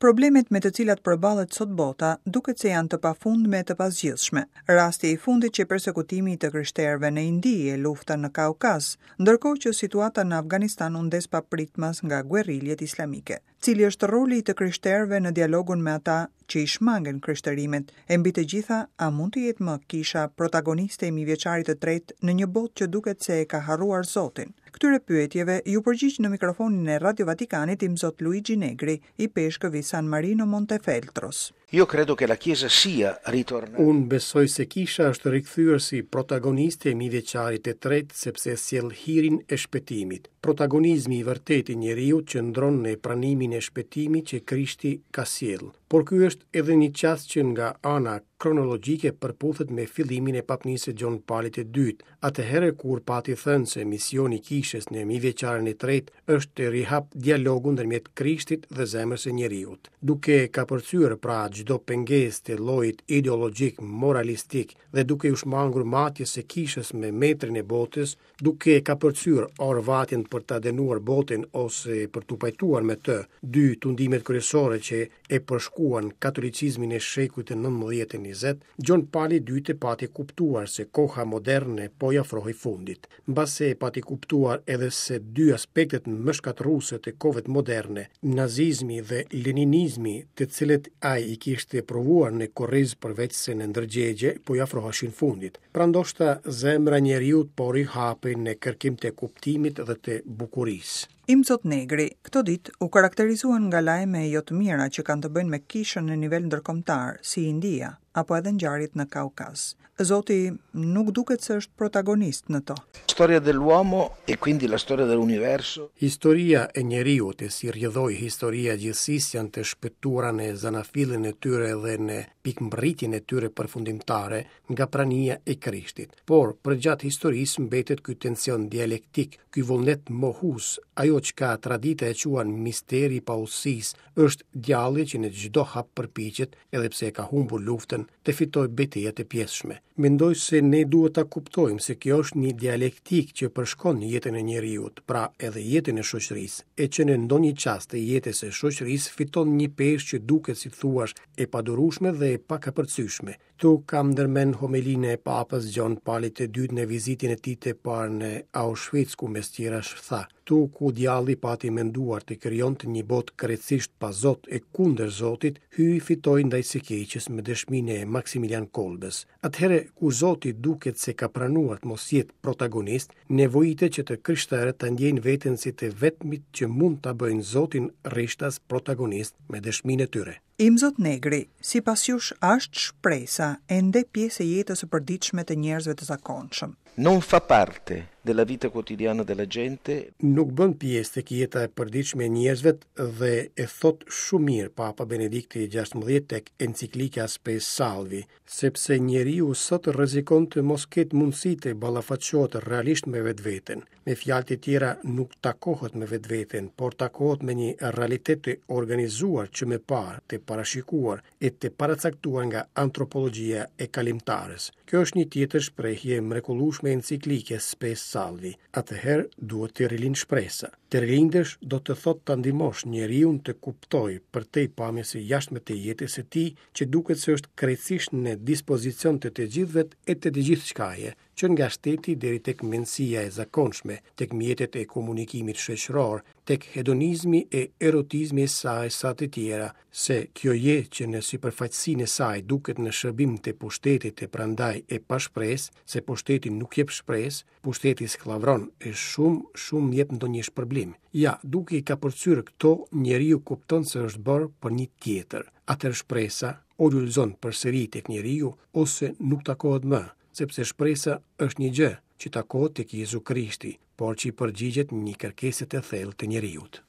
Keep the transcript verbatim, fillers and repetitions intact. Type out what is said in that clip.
Problemet me të cilat përballet sot bota duket se janë të pafundme e të pazgjidhshme. Rasti i fundit që persekutimi i të krishterëve në Indi e lufta në Kaukaz, ndërkohë që situata në Afganistan u ndes papritmas nga guerriljet islamike. Cili është roli i të krishterëve në dialogun me ata që i shmangen krishterimit, e mbi të gjitha, a mund të jetë më kisha protagoniste e mijëvjeçarit të tretë në një botë që duket se e ka harruar Zotin? Këtyre pyetjeve ju përgjigj në mikrofonin e Radio Vatikanit Imzot Luigi Negri, ipeshkëv i San Marino Montefeltros. Io credo che la Chiesa sia ritornata. Unë besoj se kisha është rikthyer si protagoniste e mijëvjeçarit të tretë sepse sjell hirin e shpëtimit. Protagonizmi i vërtetë i njeriut qëndron në pranimin e shpëtimit që Krishti ka sjellë. Por ky është edhe një çast që nga ana kronologjike përputhet me fillimin e papnisë së Gjon Palit të Dytë, atëherë kur pati thënë se misioni i kishës në mijëvjeçarin e tretë është të rihap dialogun ndërmjet Krishtit dhe zemrës së njeriut. Duke kapërcyer pra çdo pengesë të llojit ideologjik, moralistik dhe duke u shmangur matjes së kishës me metrin e botës, duke kapërcyer orvatjen për ta dënuar botën ose për t'u pajtuar me të, dy tundimet kryesore që e përshkuan katolicizmin e shekullit të nëntëmbëdhjetë e njëzet, Gjon Pali i Dytë pati kuptuar se koha moderne po i afrohej fundit. Mbase pati kuptuar edhe se dy aspektet më shkatërruese të kohëve moderne, nazizmi dhe leninizmi, të cilët ai i kishte provuar në korriz përveç se në ndërgjegje, po i afroheshin fundit. Pra ndoshta zemra e njeriut po rihapej në kërkim të kuptimit dhe të bukurisë. Imzot Negri, këto ditë u karakterizuan nga lajme jo të mira që kanë të bëjnë me kishën në nivel ndërkombëtar, si India, apo edhe ngjarjet në Kaukaz. Zoti nuk duket se është protagonist në to. Storia dell'uomo e quindi la storia dell'universo. Historia e njeriut e si rrjedhoi historia e gjithësisë janë të shpëtuara në zanafillën e tyre dhe në pikëmbërritjen e tyre përfundimtare nga prania e Krishtit. Por përgjatë historisë mbetet ky tension dialektik, ky vullnet mohus, ajo çka tradita e quan misteri i paudhësisë, është djalli që në çdo hap përpiqet, edhe pse e ka humbur luftën, të fitojë betejat e pjesshme. Mendoj se ne duhet ta kuptojmë se kjo është një dialektik që përshkon jetën e njeriut, pra edhe jetën e shoqërisë, e që në ndonjë çast të jetës së shoqërisë fiton një peshë që duket si thuash e padurueshme dhe e pakapërcyeshme. Tu kam ndërmend homelinë e Papës Gjon Palit të Dytë në vizitën e tij të parë në Auschwitz, ku mes tjerash tha: "Tu ku djalli pati menduar të krijonte një botë krejtësisht pa Zot e kundër Zotit, Hyji fitoi ndaj së keqes me dëshminë e Maximilian Kolbës." Atëherë kur Zoti duket se ka pranuar të mos jetë protagonist, nevojitet që të krishterët ta ndjejnë veten si të vetmit që mund ta bëjnë Zotin rishtas protagonist me dëshminë e tyre. Imzot Negri, sipas jush, a është shpresa ende pjesë e jetës së përditshme të njerëzve të zakonshëm? Non fa parte della vita quotidiana della gente. Nuk bën pjesë tek jeta e përditshme e njerëzve dhe e thot shumë mirë Papa Benedikti i gjashtëmbëdhjetë tek enciklika Spe Salvi, sepse njeriu sot rrezikon të mos ketë mundësi të ballafaqohet realisht me vetveten. Me fjalë të tjera, nuk takohet me vetveten, por takohet me një realitet të organizuar që më parë, të parashikuar e të paracaktuar nga antropologjia e kalimtarës. Kjo është një tjetër shprehje e mrekullueshme enciklike Spe Salvi. Atëherë duhet të rilind shpresa. Të rilindësh do të thotë ta ndihmosh njeriun të kuptojë përtej pamjes së jashtme të jetës së tij, që duket se është krejtësisht në dispozicion të të gjithëve e të të gjithçkaje, që nga shteti deri tek mendësia e zakonshme, tek mjetet e komunikimit shoqëror, tek hedonizmi e erotizmi e saj sa të tjera, se kjo jetë që në sipërfaqësinë e saj duket në shërbim të pushtetit e prandaj e pashpresë, se pushteti nuk jep shpresë, pushteti skllavron e shumë, shumë jep ndonjë shpërblim. Ja, duke i kapërcyer këto, njeriu kupton se është bërë për një tjetër. Atëherë shpresa o lulëzon përsëri tek njeriu ose nuk takohet më, sepse shpresa është një gjë që takohet tek Jezu Krishti, por që i përgjigjet një kërkese të thellë të njeriut.